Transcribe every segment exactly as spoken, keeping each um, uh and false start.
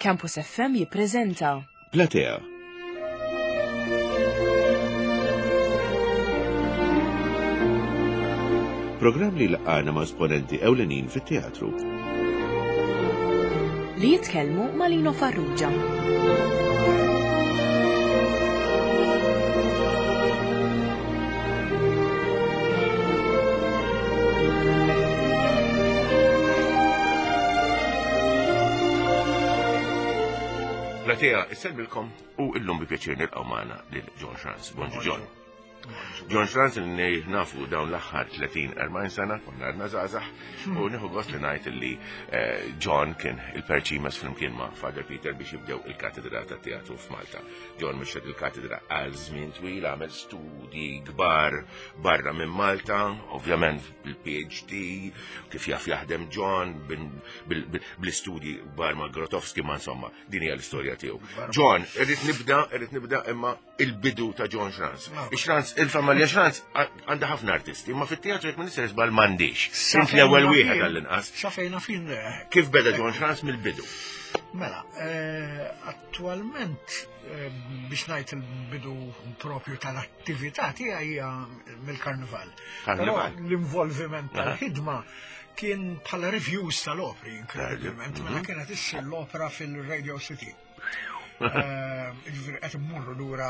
Campus F M jippreżenta Platea. Programm li jlaqqagħna ma' esponenti ewlenin fit-teatru. Li jitkellmu ma' Lino Farrugia. Platea, issellmilkom u illum bi pjaċir nilqgħu magħna lil John Schranz. Bonġu, John. John Schranz li nafu dawn l-aħħar tletin erbgħin sena, konna għadna żgħażagħ, u nieħu gost li ngħid li eh, John kien il-perċimes flimkien ma' Father Peter biex jibdew il-katedra ta' teatru f'Malta. John mexxa il-katedra għal żmien twil, għamel studji kbar barra minn Malta, ovvjament bil-P H D, kif jaf jaħdem John, bil-istudji kbar ma' Grotowski, ma' insomma, din hija l-istorja tiegħu. John, irrid nibda, irrid nibda imma il-bidu ta' John Schranz. Schranz, il-familja Schranz għandha ħafna artisti, imma fit-teatru jekk minister żball m'għandix. Int l-ewwel wieħed għall-inqas. Sa fejna fin. Kif beda John Schranz mill-bidu? Mela, eh, attualment eh, biex ngħid il-bidu propju tal-attività tiegħi hija mill-karnival. Però Karnival. l-involviment tal-ħidma kien bħala reviews tal-opri, inkredibilment, mela kienet issir l-opera fil-Radio City. Eh, Ġifieri qed immorru lura.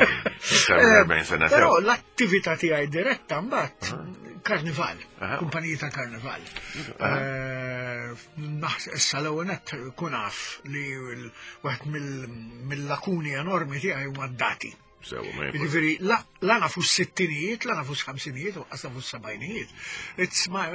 erbgħin sena Però sew. l-attività tiegħi diretta mbagħad karnival, Aha. kumpaniji ta' karnival. Eh, Naħseb issa l-ewwel nett kun naf li l- waħed mill- mill-lakuni enormi tiegħi huma d-dati. Sewa, ma jkun. Ġifieri, la la nafu s-sittinijiet, la nafu s-ħamsinijiet, u qas nafu s-sebgħinijiet. It's my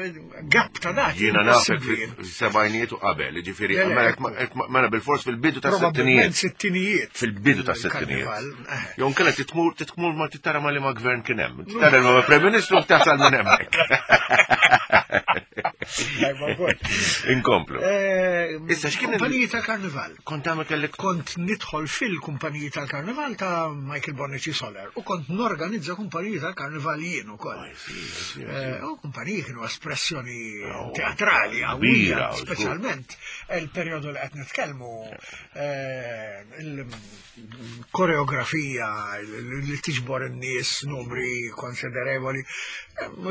gap ta' dati. Jiena nafek impossibbli. fil-sebgħinijiet u qabel, ġifieri, Le, le, mela jekk- mela bil-fors fil-bidu ta' Probabbilment sittinijiet. sittinijiet. Fil-bidu ta' sittinijiet. Il-karnival, eh. Jew nkella titmur titmur ma tara ma li ma gvern kien hemm. Tara ma Prem Ministru tasal minn hemmhekk. Tajba wkoll. Inkomplu. Eh, Issa, x'kien il- Kumpaniji tal-karnival. Kont tagħmel kellek Kont nidħol fil-kumpaniji tal-karnival ta' Michael Bonnici Soler u kont norganizza kumpaniji tal-karnival jien ukoll. Eh, U kumpaniji kienu espressjoni Oh, teatrali kbira, qawwija, żgur. speċjalment il-perjodu li qed nitkellmu, eh, il-koreografija li tiġbor in-nies numri konsiderevoli, eh,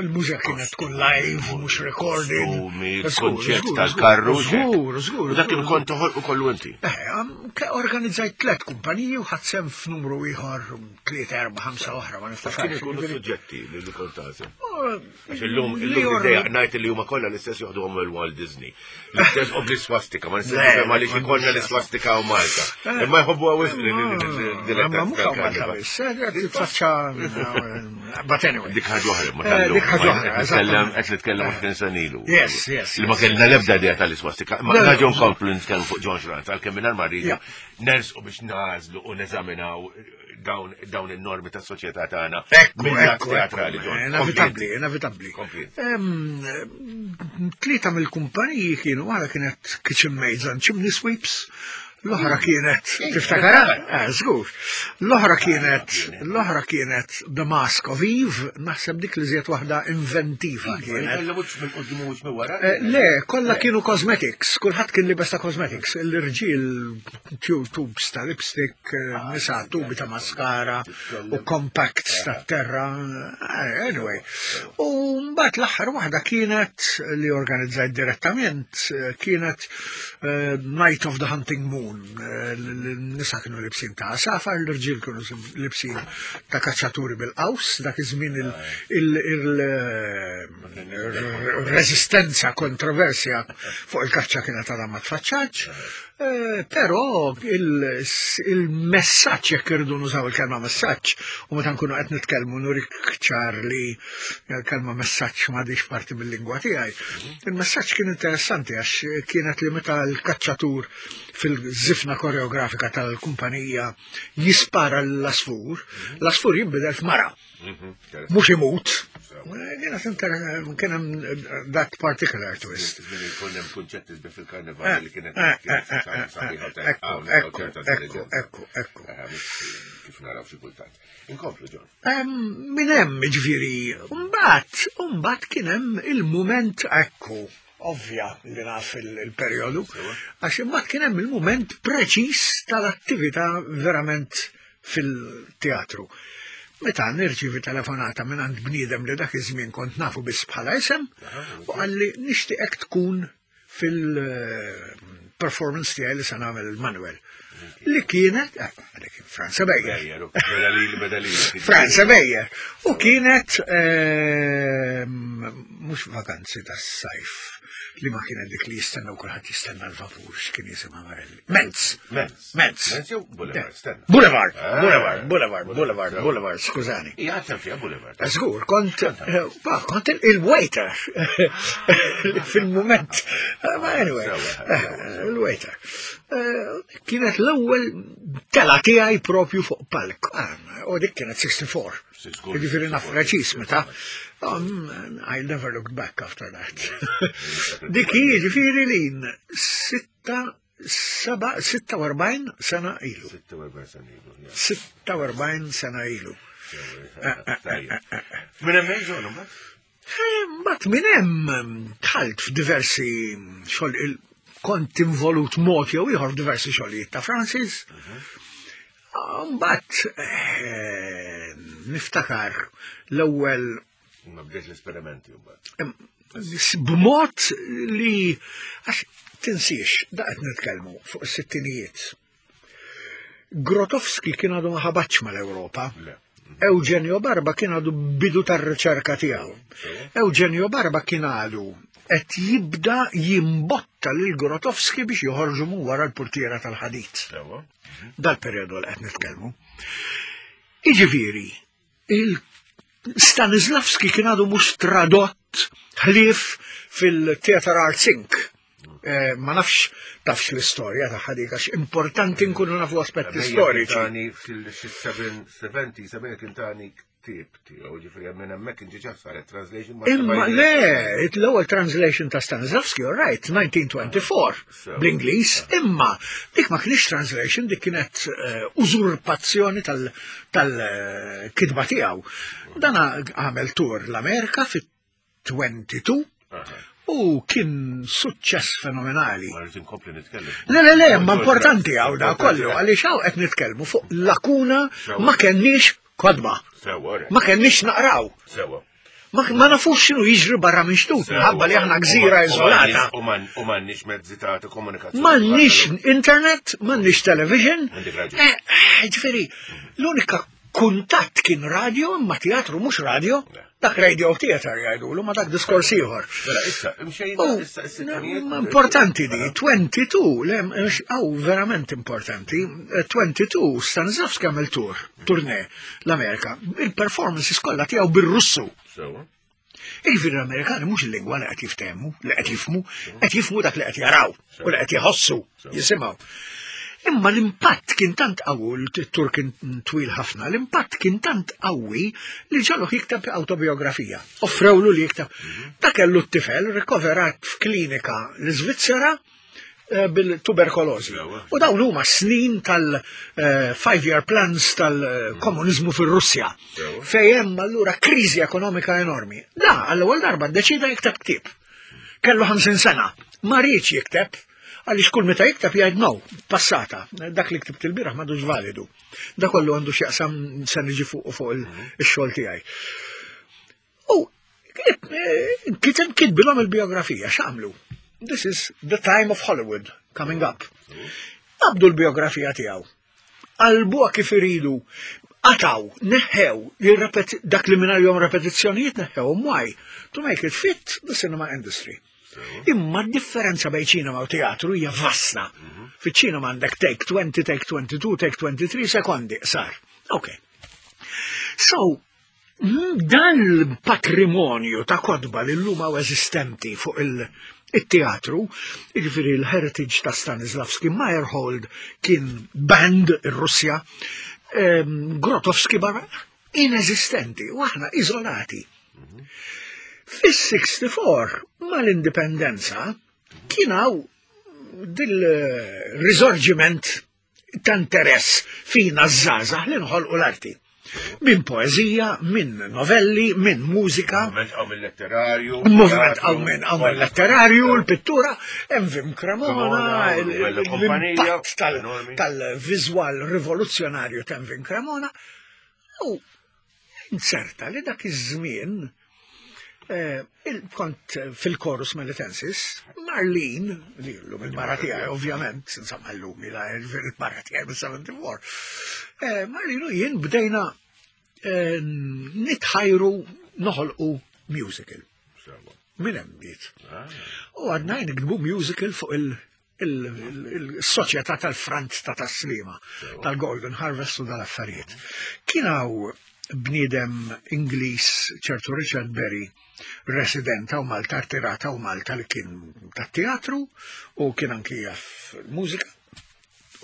il-mużika kienet tkun live, mhux recorded. Kostumi, Żgur, konċett żgur, tal-karru. Żgur, żgur. U dak żgur, kien kont toħolqu kollu inti. Eh, am- ke- organizzajt tlet kumpaniji u ħadt sehem f'numru ieħor tlieta, erba', ħamsa oħra, ma Kien niftakarx. ikunu Ġifieri- suġġetti li li kont tagħżel. Oh, Għax illum li illum or- id-dejja ngħid li huma kollha l-istess joħduhom il-Walt Disney. L-istess u bl-iswastika, ma nistax Le, nifhem għaliex ma ikollna nix- l-iswastika u Malta. Eh. Imma jħobbu għawis Ma mhux hawn Malta biss, eh, titfaċċa, but anyway. Dik ħaġa oħra, ma Eh, tal-lum. dik ħaġa oħra, Qed nitkellem eżattament. qed nitkellem għoxrin sena ilu. Yes, yes, Li ma yes. kellna l-ebda idea tal-iswastika. Ma Le, le, naġu nkomplu nitkellmu fuq John Schranz, għalkemm mingħajr ma rridu Ja. nersqu biex nażlu u neżaminaw dawn dawn in-normi tas-soċjetà tagħna. Ekku, mill-lat ekku, teatrali, ekku, John. inevitabbli, inevitabbli. Kompli. Em, Tlieta mill-kumpaniji kienu, waħda kienet Kitchen Maids and Chimney Sweeps, l-oħra kienet, tiftakara? Eh, żgur. L-oħra kienet, l-oħra kienet The Mask of Eve, naħseb dik li żiet waħda inventiva kienet. Kella mhux minn quddiem u mhux minn wara. Eh, Le, kollha kienu cosmetics, kulħadd kien libes ta' cosmetics, l-irġiel tu- tubes ta' lipstick, eh, nisa tubi ta' mascara u compacts ta' terra, eh, anyway. U mbagħad l-aħħar waħda kienet li organizzajt direttament, eh, kienet eh, Night of the Hunting Moon. Eh, L-nisa kienu libsin ta' għasafar, l-irġiel kienu libsin ta' kaċċaturi bil-qaws, dak iż-żmien il- il- il- il-resistenza, kontroversja fuq il-kaċċa kienet għadha ma tfaċċax, eh, però il- il-messaġġ, jekk irridu nużaw il-kelma messaġġ, u meta nkunu qed nitkellmu nurik ċar li l-kelma messaġġ m'għadix parti mill-lingwa tiegħi. Il-messaġġ kien interessanti għax kienet li meta l-kaċċatur fil-żifna koreografika tal-kumpanija jispara l-għasfur, l-għasfur jinbidel f'mara, mhux imut. Kienet inter- kien hemm that particular twist. Żmien ikun hemm kunċetti sbieħ fil-karnival li kienet Eh, kienet eh, eh, sabiħa u eh, Ekku, tajba. ekku, ekku, ekku, ekku. Kif naraw xi kultant. Inkomplu, John. Em, Min hemm ġifieri, mbagħad, mbagħad kien hemm il-mument ekku. Ovvja li naf il-perjodu, għax imbagħad kien hemm il-mument preċiż tal-attività verament fil-teatru. Meta nirċivi telefonata minn għand bniedem li dak iż-żmien kont nafu biss bħala isem, u qalli nixtieqek tkun fil-performance tiegħi li se nagħmel il-Manuel. Li kienet, eh, għalek Franz Beyer. Franz Beyer. U kienet, mhux vakanzi tas-sajf, li ma kienet dik li jistenna u kulħadd jistenna l-vapur, x'kien jisimha Marelli. Menz. Menz. Menz. Menz jew Boulevard, stenna. Boulevard, Ah. Boulevard, Boulevard, Boulevard, Boulevard, skużani. Ija, għatem fija Boulevard. Żgur, kont, eh, ba, kont il- il-waiter fil-moment. Eh, Ma anyway, eh, il-waiter. Eh, Kienet l-ewwel tela tiegħi propju fuq palk. Ah, U dik kienet sitta u sittin. Żgur, Jiġifieri naf sitta u sittin. preċiż meta. Um, I never looked back after that. Dik hi jiġifieri li sitta, seba, sitta u erbgħin sena ilu. sitta u erbgħin sena ilu. Ja. sitta u erbgħin sena ilu. Tajjeb. Minn hemmhekk ġonu, mbagħad? Mbagħad minn hemm dħalt f'diversi xogħol il- kont involut mod jew ieħor f'diversi xogħlijiet ta' Francis. Mbagħad eh, niftakar l-ewwel Ma bdejt l-esperimenti mbagħad. B'mod li għax tinsiex da qed nitkellmu fuq is-sittinijiet. Grotowski kien għadu ma ħabatx mal-Ewropa. Le. Eugenio Barba kien għadu bidu tar-riċerka tiegħu. Eugenio Barba kien għadu qed jibda jimbotta lil Grotowski biex joħorġu minn wara l-portiera tal-ħadid. Sewa. Dal-perjodu li qed nitkellmu. Iġifieri, il-Stanislavski kien għadu mhux tradott ħlief fil-Theatre Arts Incorporated. Eh, ma nafx tafx l-istorja ta' dik għax importanti nkunu nafu aspetti storiċi. Tani fil-sebgħa, sebgħin kien tani ktieb tiegħu, ġifieri minn hemmhekk inti ġa saret translation. Ma Imma le, l-ewwel translation ta' Stanislavski, all right, elf disa' mija u erbgħa u għoxrin So. bl-Ingliż, imma dik ma kienx translation, dik kienet eh, użurpazzjoni tal-kitba tiegħu. Dana għamel tour l-Amerika fit-tnejn u għoxrin u kien suċċess fenomenali. Ma rrid inkompli nitkellem. Le, le, le, ma importanti hawn da kollu, għaliex hawn qed nitkellmu fuq lakuna, ma kenniex kotba, Sewa, ma kenniex naqraw. Sewa. Ma, ma nafux x'inhu jiġri barra minn xtut, minħabba li aħna gżira iżolata. U m'għandniex mezzi ta' ta' komunikazzjoni. M'għandniex internet, m'għandniex television. Għandek raġun. Eh, eh, ġifieri, l-unika kuntatt kien radio, imma teatru mhux radio. Le. Dak radio theater jgħidulu, ma dak diskors ieħor. Mela, issa, imxejna, U, issa, is-sittinijiet. ma importanti di, tnejn u għoxrin, le, mhux- aw, verament importanti, eh, tnejn u għoxrin Stanislavski għamel tour, tournée l-Amerika. Il-performances kollha tiegħu bir-Russu. Sewa. Jiġifieri l-Amerikani mhux il-lingwa li qed jiftehmu, li qed jifhmu, qed jifhmu dak li qed jaraw u li qed jħossu, jisimgħu. Imma l-impatt kien tant qawwi, il-tour kien twil ħafna, l-impatt kien tant qawwi li ġagħluh jikteb autobiografija. Offrewlu li jikteb. Ta' kellu t-tifel rikoverat f'klinika l-Svizzera eh, bil-tuberkolożi. Sewa. U dawn huma snin tal-five-year plans tal-komunizmu fir-Russja. Sewa. Fejn hemm allura kriżi ekonomika enormi. Da, għall-ewwel darba ddeċida jikteb ktieb. Kellu ħamsin sena, ma riedx jikteb, għaliex kull meta jikteb jgħid no, passata, dak li ktibt il-bieraħ m'għadux validu. Da kollu għandu x'jaqsam se niġi fuq fuq il- ix-xogħol tiegħi. U eh, kiteb kitbilhom il-biografija, x'għamlu? This is the time of Hollywood coming up. Qabdu l-biografija tiegħu. Qalbuha kif iridu, qatgħu, neħħew, jirrepet- dak li minn jom repetizzjonijiet neħħew, why? To make it fit the cinema industry. Imma d-differenza bejn ċinema u teatru hija vasta. Fiċ-ċinema għandek take twenty, take twenty-two, take twenty-three sekondi, sar. Ok. So, mm, dan il-patrimonju ta' kotba li llum hawn eżistenti fuq il- il-teatru, jiġifieri l-heritage ta' Stanislavski, Meyerhold kien banned ir-Russja, ehm, Grotowski barra, inesistenti, u aħna izolati. Fis-sitta u sittin mal-indipendenza kien hawn dil-risorġiment ta' interess fina żgħażagħ li nħolqu l-arti. Minn poezija, minn novelli, minn mużika. Moviment għaw minn letterarju. Moviment għaw minn għaw minn letterarju, l-pittura, Emvin Cremona, l-impatt tal-viżwal rivoluzzjonarju ta' Emvin Cremona. U inserta li dak iż-żmien kont fil-Chorus Melitensis, Marlene, li l-lum il-mara tiegħi, ovvjament, insomma l-lum il-mara tiegħi bil-sebgħa u sebgħin, Marlene u jien bdejna nitħajru noħolqu musical. Minn hemm bdiet. U għadna niktbu musical fuq il-soċjetà tal-Frant ta' Tas-Sliema, tal-Golden Harvest u dal-affarijiet. Kien hawn bniedem Ingliż, ċertu Richard Berry, resident u Malta, artirata u Malta, li kien ta' teatru u kien anki jaf mużika.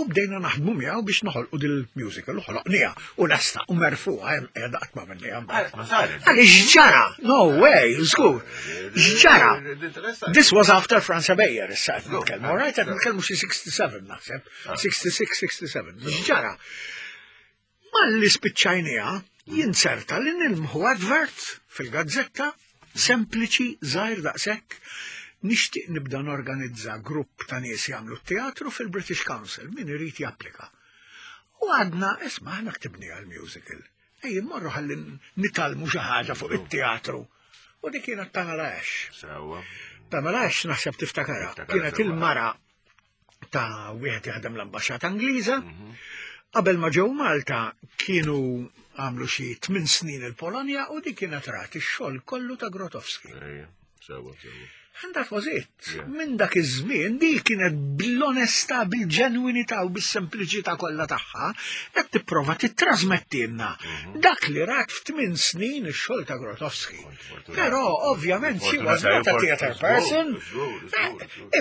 U bdejna naħdmu miegħu biex noħolqu dil-musical, u ħloqniha u lesta u merfuha hemm qiegħda, qatt ma minniha. Għaliex ġara, no way, żgur. Ġara. This was after Frans Ebejer, issa qed nitkellmu, right? Qed nitkellmu xi sitta u sittin naħseb, sitta u sittin, sitta u sebgħin. Ġara. Malli spiċċajniha, jinserta li nilmħu advert fil-gazzetta, sempliċi, żgħir daqshekk: nixtieq nibda norganizza grupp ta' nies jagħmlu teatru fil-British Council, min irid japplika. U għadna, isma', aħna ktibni għal-musical. Ej, morru ħalli nitgħallmu xi ħaġa fuq it-teatru. U dik kienet Pamela Ash. Sewwa. Pamela Ash naħseb tiftakarha. Niftakarha Kienet sewwa. il-mara ta' wieħed jaħdem l-ambaxxata Ingliża. Qabel ma ġew Malta kienu għamlu xi tmien snin il-Polonja u dik kienet rat ix-xogħol kollu ta' Grotowski. Ejja, sewwa, sewwa. And that was it. Yeah. Minn dak iż-żmien di kienet bl-onestà, bil-ġenwinità u bis-sempliċità kollha tagħha qed tipprova titrasmettilna dak li rat f'tmien snin ix-xogħol ta' Grotowski. Però ovvjament she was not a theater person.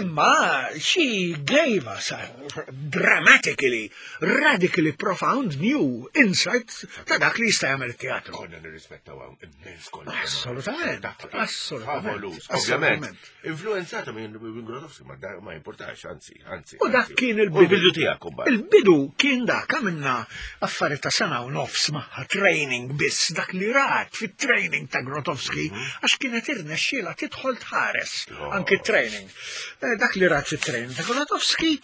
Imma she gave us a dramatically, radically profound new insight ta' dak li jista' jagħmel it-teatru. Konna nirrispettaw hawn immens kollha. Assolutament, assolutament. Favolus, ovvjament. Assolutament. Influenzata minn minn Grotowski, ma da- ma importax, anzi, anzi. U dak anzi. kien U il-bidu. l-bidu tiegħek imbagħad. Il-bidu kien dak, għamilna affari ta' sena u nofs magħha training biss, dak li rat fit-training ta' Grotowski, għax kienet irnexxiela tidħol tħares Oh. anki training. Eh, Dak li rat fit-training ta' Grotowski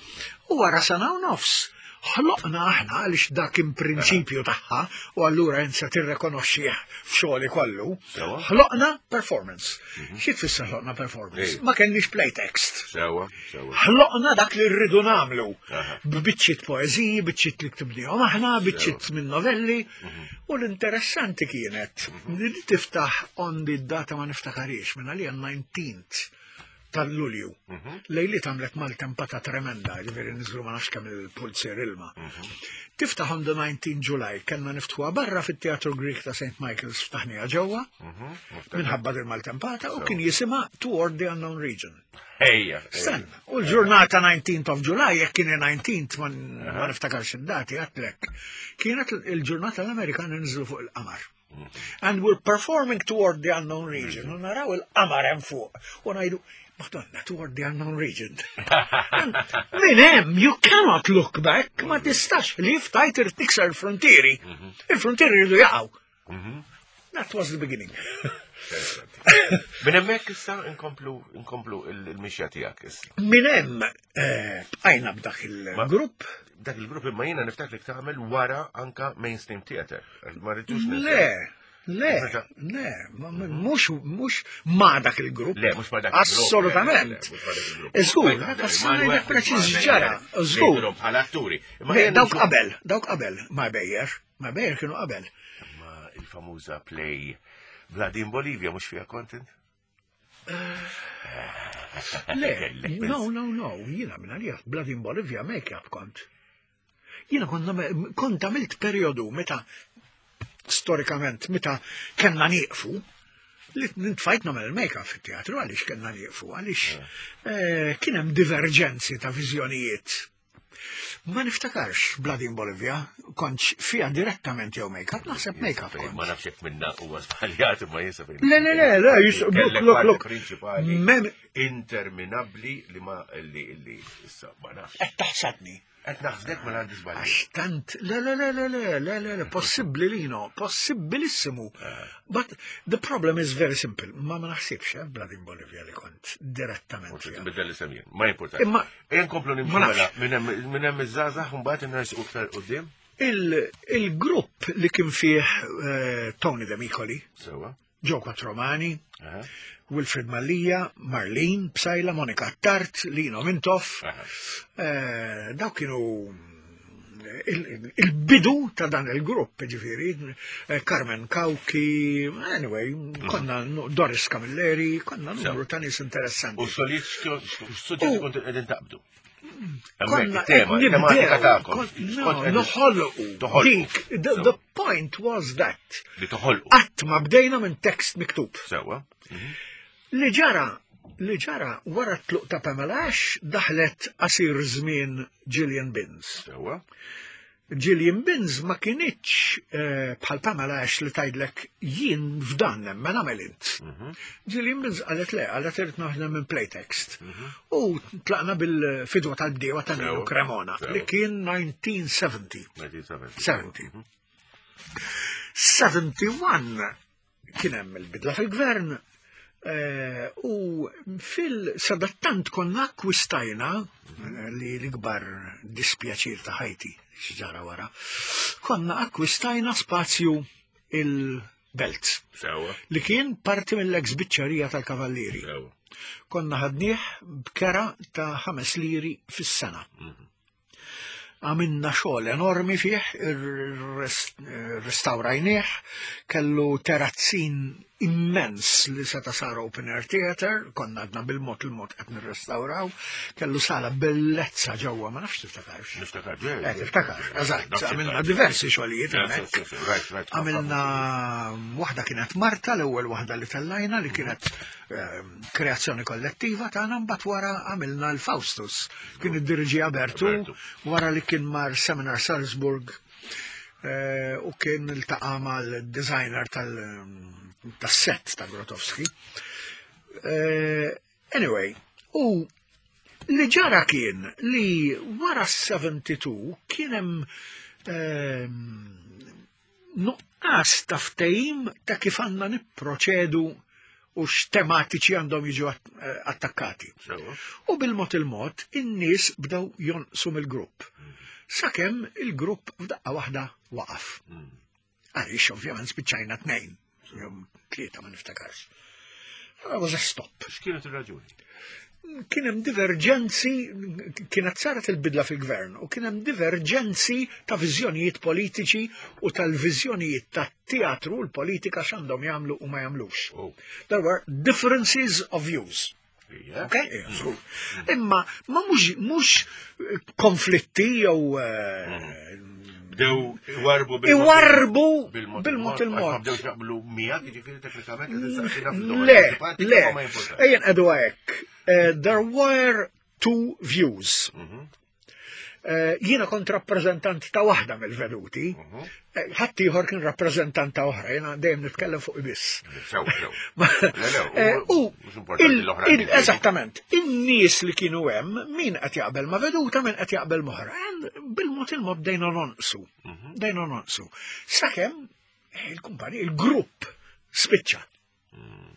u wara sena u nofs. Ħloqna aħna għaliex dak in prinċipju tagħha u allura insa tirrekonoxxih f'xogħli kollu. Sewwa. Ħloqna performance. Xi tfisser ħloqna performance? Ej. Ma kenniex playtext. Sewwa, sewwa. Ħloqna dak li rridu nagħmlu. Aha. B'biċċiet poeżiji, biċċiet li ktibnihom aħna, biċċiet minn novelli. U l-interessanti kienet li tiftaħ on the data, ma niftakarix, minn għalija nineteenth tal-Lulju. Lejli għamlet maltempata tremenda, ġifieri niżlu ma nafx kemm il-pulzier ilma. Tiftaħ on the nineteenth July, kellna niftħuha barra fit-Teatru Greek ta' Saint Michael's, ftaħniha ġewwa, minħabba dil maltempata, u kien jisimha Toward the Unknown Region. Ejja. Stenna, u l-ġurnata nineteenth of July, jekk kien nineteenth, ma ma niftakarx id-dati, għatlek, kienet il-ġurnata l-Amerikani nżlu fuq il-qamar. And we're performing Toward the Unknown Region, u naraw il-qamar hemm fuq, u ngħidu, "Madonna, Toward the Unknown Region." And minn hemm, you cannot look back, ma tistax li ftajt tikser il-frontieri. Il-frontieri jridu jaqgħu. That was the beginning. Minn hemmhekk issa inkomplu inkomplu il-mixja tiegħek issa. Minn hemm eh, bqajna b'dak il-grupp. Dak il-grupp, imma jiena niftakrek tagħmel wara anka mainstream theater. Ma rridux ninsew. Le, le, le, ma- ma- mhux mhux ma dak il-grupp. Le, mhux ma dak il-grupp. Assolutament. Le, le, mhux ma dak il-grupp. Żgur, Ma dak jtaħdem ngħidlek Emanuel, preċiż ma ġara, Meyer, żgur. ngħidulhom bħala atturi. Imma Le, jien dawk nixu- qabel, dawk qabel, ma Bejjer, ma Bejjer kienu qabel. Ma il-famuża play Blood in Bolivia mhux fiha content? Le, Kellek no, no, no, jiena minn għalija Blood in Bolivia make-up kont. Jiena kont nagħmel- kont għamilt periodu meta storikament meta kellna nieqfu li nitfajt nagħmel il-make-up fit-teatru. Għaliex kellna nieqfu? Għaliex eh, kien hemm diverġenzi ta' viżjonijiet. Ma niftakarx Blood in Bolivia kontx fija direttament jew make-up, naħseb make-up Ma kont. nafx jekk minna huwa żbaljat, imma jinsa fejn. Le, le, le, le, jis- look, Kellek look, parti look. prinċipali Mem- interminabbli li ma li li issa ma nafx. Qed taħsadni. Qed naħsdek mela għandi żball. Għax tant, le, le, le, le, le, le, le, le, possibbli Lino, possibilissimu. But the problem is very simple. Ma ma naħsibx, eh, Blood in Bolivia li kont direttament. Forsi fiha. tbiddel l-isem jien. Ma importax. Imma Ejja nkomplu nimxu Ma nafx. mela minn hemm minn hemm iż-żgħażagħ u mbagħad innersqu iktar quddiem. il- il-grupp li kien fih eh, Tony Demicoli, Sewwa. Joe Quattromani, Aha. Wilfred Mallia, Marlene Psaila, Monica Tart, Lino Mintoff, Aha. eh, daw kienu il- il-bidu ta' dan il-grupp, ġifiri, eh, Carmen Cauchi, anyway, konna nu- Doris Camilleri, konna numru ta' nies interessanti. U xogħlijiet x'suġġetti U- kont qegħdin taqbdu. Konna Hemmhekk it-tema, qed it-tematika nibdew, tagħkom. kon- X'kont No, qegħdin- noħolqu. Toħolqu. Dik, the, the point was that. Li toħolqu. Qatt ma bdejna minn tekst miktub. Sewwa. Li ġara, li ġara wara t-tluq ta' Pamela Ash daħlet qasir żmien Gillian Binns. Sewwa. Gillian Binns ma kinitx eh, bħal Pamela Ash li tgħidlek jien f'dan nemmen għamel int. Mhm. Gillian Binns qalet le, qalet irrid naħdem minn playtext. U tlaqna bil-fidwa tal-bdiewa ta' Nino Sewa, Cremona sewa. li kien nineteen seventy. nineteen seventy. seventy. sebgħa u sebgħin kien hemm il-bidla fil-gvern eh, u fil-sadattant konna akkwistajna eh, li l-ikbar dispjaċir ta' ħajti x'ġara wara, konna akkwistajna spazju il-Belt Sewwa. li kien parti mill-ex biċċerija tal-Kavallieri. Sewwa. Konna ħadnieh b'kera ta' ħames liri fis-sena. Għamilna xogħol enormi fih, restawrajnieh, kellu terazzin immens li seta sar open air theater, konna għadna bil-mod il-mod qed nirrestawraw, kellu sala bellezza ġewwa, ma nafx tiftakarx. Niftakar ġej. Eh, tiftakar, eżatt, Nafx għamilna tiftakar. diversi xogħlijiet hemmhekk. Right, right. Għamilna waħda kienet Marta, l-ewwel waħda li tellajna li kienet ehm, kreazzjoni kollettiva tagħna, mbagħad wara għamilna l-Faustus. Kien id-diriġija Bertu Bertu. wara li kien mar Seminar Salzburg eh, u kien iltaqa' mal-designer tal- tas-set ta' Grotowski. Eh, Anyway, u li ġara kien li wara sebgħa u sebgħin kien hemm ehm, nuqqas ta' ftehim ta' kif għandna nipproċedu u x'tematiċi għandhom jiġu att- eh, attakkati. Sewwa. U bil-mod il-mod, in-nies bdew jonqsu mill-grupp. Sakemm il-grupp f'daqqa waħda waqaf. Għaliex ovvjament spiċċajna tnejn, jew tlieta, ma niftakarx. That was a stop. X'kienet ir-raġuni? Kien hemm diverġenzi, kienet saret il-bidla fil-gvern u kien hemm diverġenzi ta' viżjonijiet politiċi u tal-viżjonijiet ta' teatru u l-politika x'għandhom jagħmlu u ma jagħmlux. Oh. There were differences of views. Ija. Okay? So, imma ma mhux mhux konflitti jew eh, Bdew iwarbu bil iwarbu bil-mod bil-mod Għax ma il-mod. bdewx jaqblu miegħek, jiġifieri teknikament qed tistaqsina fil-domanda Le, antipatika, le, ma jimportax. ejja nqegħdu hekk. Eh, There were two views. Mhm. Eh, Jiena kont rappreżentant ta' waħda mill-veduti, Mhm. eh, ħadd ieħor kien rappreżentant ta' oħra, jiena dejjem nitkellem fuq biss. Sew, sew. Ma- Le, le, Eh, U mhux importanti il- l-oħra il- kif Eżattament, in-nies li kienu hemm, min qed jaqbel ma' veduta, min qed jaqbel m'oħra. And bil-mod il-mod bdejna nonqsu. Mhm. Bdejna nonqsu. Sakemm eh, il-kumpani, il-grupp spiċċa. Mm.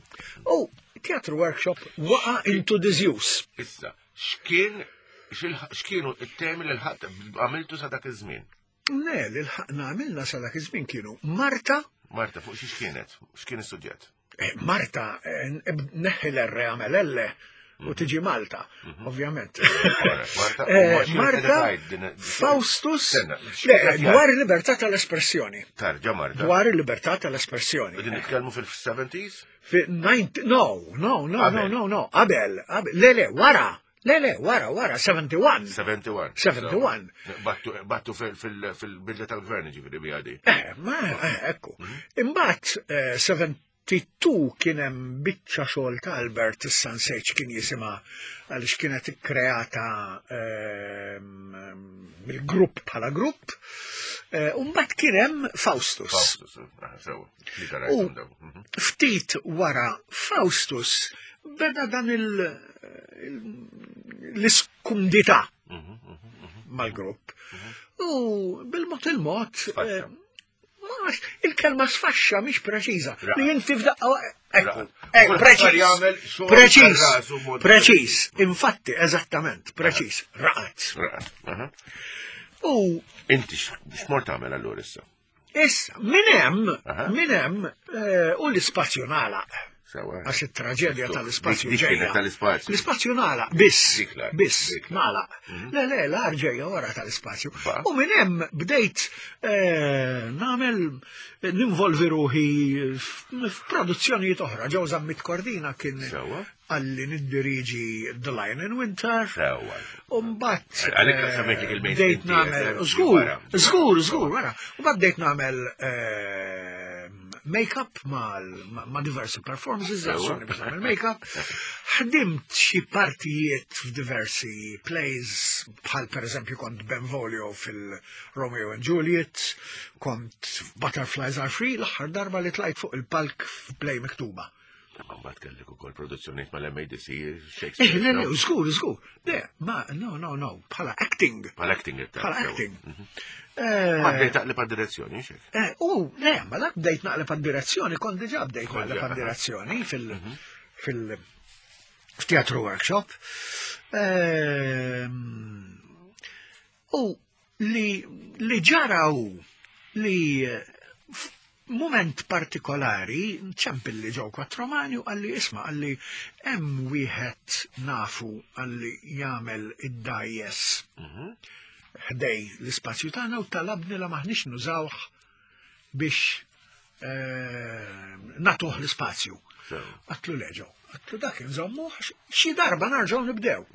U Theatre Workshop waqa into disuse. Issa, x'kien xil- x'kienu it-temi li l-ħadd għamiltu sa dak iż-żmien? Ne, li lħaqna għamilna sa dak iż-żmien kienu Marta, Marta, fuq xi x'kienet? X'kien is-suġġett? eh, Marta, eh, neħħi l-R għamel L u tiġi Malta, ovvjament. Marta, Eh, u ma x'kienet Marta, qiegħda tgħid din- Faustus, Stenna, le, x'kienet dwar il-libertà tal-espressjoni. Tarġa Marta. Dwar il-libertà tal-espressjoni. Qegħdin nitkellmu fil-seventies? Fi ninety, no, no, no, no, Qabel. no, no, qabel, qabel, le, le, wara, le, le, wara, wara, sebgħa u sebgħin. sebgħa u sebgħin. sebgħa u sebgħin. Battu battu fil- fil- fil-bidla tal-gvern ġifieri bija di. Eh, ma, eh, ekku. Imbagħad eh, sebgħa u sebgħin kien hemm biċċa xogħol ta' Albert, issa nsejt kien jisimha għaliex kienet ikkreata ehm, mill-grupp bħala grupp. Eh, U mbagħad kien hemm Faustus. Faustus, ah, sewa. Li U- tarajthom dawn. Mhm. Ftit wara Faustus beda dan il- il- l-iskumdità Mhm, mhm, mhm. mal-grupp. U bil-mod il-mod, Sfaxxa. eh, ma nafx, il-kelma sfaxxa mhix preċiża. Ra. Li inti f'daqqa ekku, Ra. eh, Kulħadd preċiż, jagħmel xogħol preċiż, tar-rasu mod preċiż, infatti, eżattament, preċiż, raqat. Raqat. Aha. U Inti x- x'mort tagħmel allura issa? issa, minn hemm, Aha. minn hemm, eh, u l-ispazju nagħlaq. Sewa. Għax it-traġedja tal-ispazju Dik- dik kienet ġejja. tal-ispazju. L-ispazju nagħlaq, biss, Dik l-ar, biss, dik l-ar. nagħlaq. Le, le, l-ar ġejja wara tal-ispazju. Ba. U minn hemm bdejt eh, nagħmel ninvolvi ruħi f- f'produzzjonijiet oħra. Joe Zammit Cordina kien Sewa. għalli niddiriġi The Lion in Winter. Sewa. U mbagħad Għalhekk eh, semmejtlek il-mainstream bdejt nagħmel theatre, żgur, wara. żgur, żgur, wara. U mbagħad bdejt nagħmel eh, make-up ma' ma' diversi performances, Sewa. għazzuni biex nagħmel make-up. Ħdimt xi partijiet f'diversi plays, bħal per eżempju kont Benvolio fil-Romeo and Juliet, kont Butterflies Are Free, l-aħħar darba li tlajt fuq il-palk f'play miktuba. Ma mbagħad kellek ukoll produzzjonijiet mal-MADC, Eh, Shakespeare. le, no? le, żgur, żgur. Le, ma, no, no, no, bħala acting. Bħal acting it Bħala acting. Ma Eh, bdejt taqleb għad-direzzjoni, xek. eh, U, le, ma dak bdejt naqleb għad-direzzjoni, kont diġà bdejt Kont naqleb diġà, għad-direzzjoni fil- fil- f'teatru workshop. Ehm, U li li ġara hu li eh, moment partikolari, ċempilli Joe Quattromani u qalli isma' qalli hemm wieħed nafu qalli jagħmel id-dgħajjes ħdej l-ispazju tagħna u talabni la maħniex nużawh biex eh, nagħtuh l-ispazju. Għedtlu le Joe, għedtlu dak nżommu xi darba nerġgħu nibdew.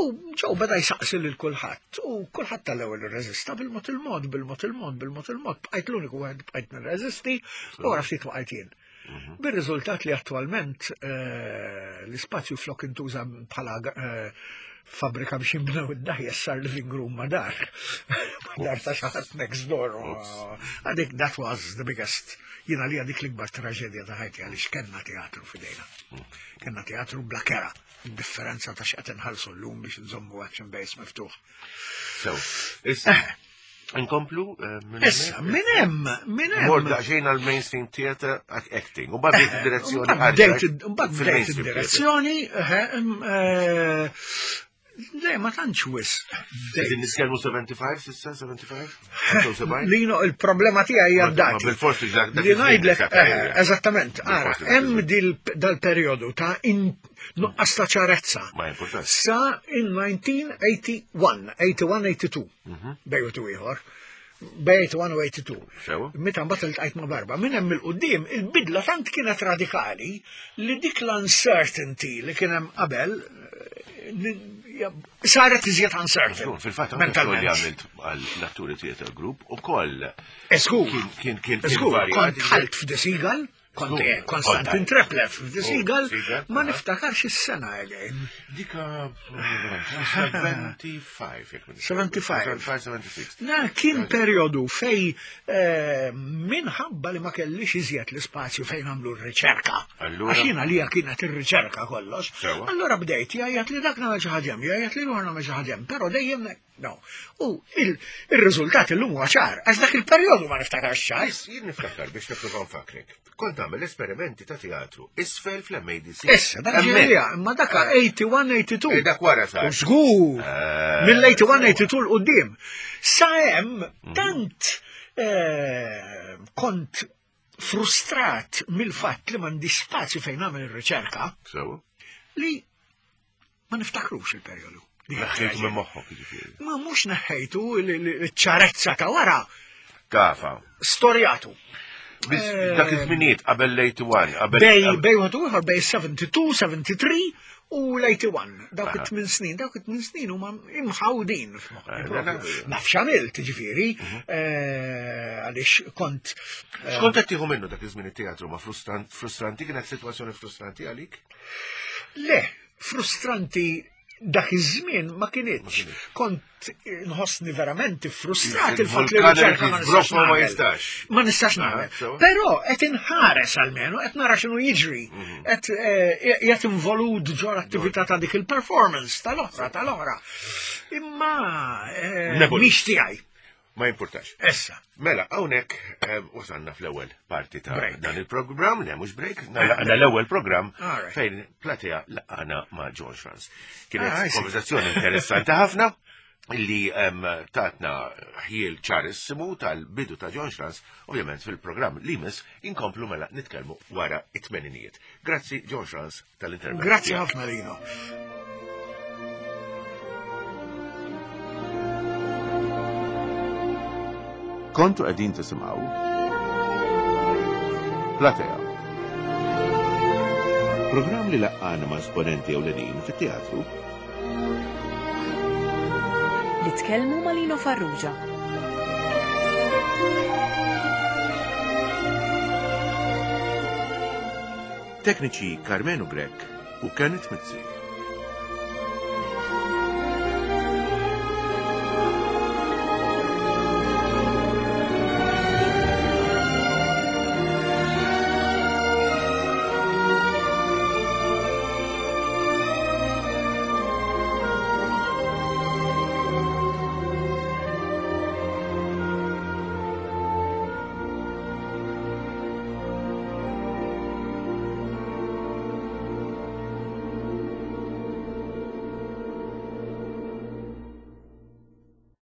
U Joe beda jsaqsi lil kulħadd u kulħadd tal-ewwel irreżista bil-mod il-mod, bil-mod il-mod, bil-mod il-mod, bqajt l-uniku wieħed bqajt nirreżisti u wara ftit waqajt jien. Bir-riżultat li attualment eh, l-ispazju flok intuża bħala eh, fabrika biex jinbnew id-dgħajjes sar living room ma' dar. Ma' dar ta' xi ħadd next door. Għadik that was the biggest. Jiena li għadik l-ikbar traġedja ta' ħajti għaliex kellna teatru f'idejna. Kellna teatru bla kera. Differenza ta' x'qed inħallsu llum biex nżommu action base miftuħ. So, issa, nkomplu eh, minn Issa, minn hemm, minn hemm. Mort daqsxejn għal mainstream theater acting. U bad bdejt id-direzzjoni. Mbagħad bdejt mbagħad bdejt id-direzzjoni, eh, eh, le, ma tantx wisq. Qegħdin nitkellmu sebgħa u sebgħin s'issa, sebgħa u sebgħin? Lino, il-problema tiegħi hija d-dati. Bil-forsi dak dak Li iż-żmien ngħidlek, eżatt, eh, eh, eżattament, ara, Bil-forsi dak hemm iż-żmien. dil- dal-perjodu ta' in- nuqqas ta' ċarezza. Ma importanti. Sa in elf disa' mija u wieħed u tmenin, tmenin u tmenin, tnejn u tmenin, bejn u ieħor, bejn tmenin u wieħed u tmenin. Sewa? Meta mbagħad iltqajt ma' Barba, minn hemm il-qudiem il-bidla tant kienet radikali li dik l-uncertainty li kien hemm qabel eh, ni- ja, saret iżjed uncertain. Żgur, Fil-fatt, anke xogħol li Mentalment. għamilt għall-atturi theater group u koll. Żgur, Kien kien kien kien Żgur, varjat. kont dħalt f'The Seagull, kont Żgur, eh, Konstantin kont- Treplev f'The Oh, Seagull, Seagull, ma aha. niftakarx is-sena again. Dika sebgħa u sebgħin. jekk ma sebgħa u sebgħin. sebgħa u sebgħin, sebgħa u sittin. Na, kien periodu fej eh, minħabba li ma kellix iżjed l-ispazju fejn għamlu r-riċerka. Allura? Għax jiena lija kienet ir-riċerka kollox. Sewa. Allura bdejt jgħajjat li dak nagħmel xi ħaġa hemm, jgħajjat li ieħor nagħmel xi ħaġa hemm, però dejjem no. U il- ir-riżultat illum huwa ċar, għax dak il-perjodu ma niftakarx ċar. Is, jien niftakar biex nipprova nfakrek. Kont tagħmel esperimenti ta' teatru isfel fl-MADC. Issa, dak ġejja, imma daka tmenin u tmenin, tmenin u tnejn. Eh, dak wara sar. U żgur, Eh, mill-tmenin u tmenin, tmenin u tnejn 'l quddiem. Sa hemm tant eh, kont frustrat mill-fatt li m'għandi spazju fejn nagħmel ir-riċerka Sewa? li ma niftakrux il-perjodu. Dik Neħħejtu minn it-traġedja. moħħok jiġifieri. Ma mhux neħħejtu l-ċarezza ta' wara Kafa. storjatu. Biss dak iż-żminijiet qabel l-tmenin u wieħed, qabel Bej bej wieħed u ieħor bej sebgħa u sebgħin, sebgħa u tletin u l-tmenin u wieħed. Dawk Aha. it-tmien snin, dawk it-tmien snin huma imħawdin f'moħħi. Eh, propju. le, le. Naf x'għamilt, ġifieri, eh, għaliex kont eh, X'kont qed tieħu minnu dak iż-żmien it-teatru ma frustranti frustranti kienet sitwazzjoni frustranti għalik? Le, frustranti dak iż-żmien ma kinitx. Kont nħossni verament frustrat il-fatt li Il-vulkan riċerka ma irid nistax jiżbroffa ma nagħmel. jistax. Ma nistax Aha, nagħmel. sewa. Però qed inħares almenu, qed nara x'inhu jiġri. Qed eh, qed involut ġo l-attività ta' dik il-performance tal-oħra, tal-oħra. Imma eh, Neboli. mhix tiegħi. Ma jimpurtax. Issa. Mela, hawnhekk eh, wasalna fl-ewwel parti ta' Break. dan il-programm, le mhux break, nagħlaqna l-ewwel programm All right. fejn Platea laqana ma' John Schranz. Kienet Ah, I see. konversazzjoni interessanti ħafna illi em, tatna ħjiel ċarissimu tal-bidu ta' John Schranz, ovvjament fil-programm li jmiss inkomplu mela nitkellmu wara it-tmeninijiet. Grazzi John Schranz tal-intervent. Grazzi tiegħek. ħafna Lino. Kontu qegħdin tisimgħu Platea. Programm li laqqana ma' esponenti ewlenin fit-teatru Li tkellmu ma' Lino Farrugia. Tekniċi Carmenu Grek u Kenneth Mizzi.